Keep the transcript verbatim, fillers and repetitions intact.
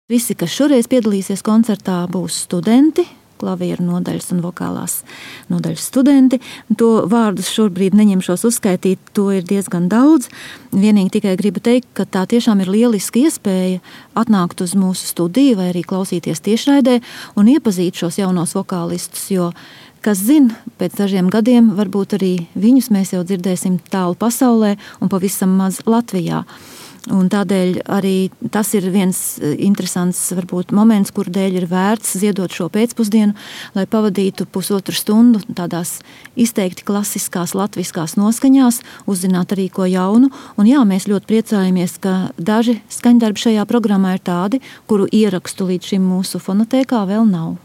Visi, kas šoreiz piedalīsies koncertā, būs studenti, klavieru nodaļas un vokālās nodaļas studenti. To vārdus šobrīd neņemšos uzskaitīt, to ir diezgan daudz. Vienīgi tikai gribu teikt, ka tā tiešām ir lieliska iespēja atnākt uz mūsu studiju vai arī klausīties tiešraidē un iepazīt šos jaunos vokālistus, jo, kas zina, pēc dažiem gadiem varbūt arī viņus mēs jau dzirdēsim tālu pasaulē un pavisam maz Latvijā. Un tādēļ arī tas ir viens interesants varbūt moments, kur dēļ ir vērts ziedot šo pēcpusdienu, lai pavadītu pusotru stundu tādās izteikti klasiskās latviskās noskaņās, uzzināt arī ko jaunu. Un jā, mēs ļoti priecājamies, ka daži skaņdarbi šajā programmā ir tādi, kuru ierakstu līdz šim mūsu fonotēkā vēl nav.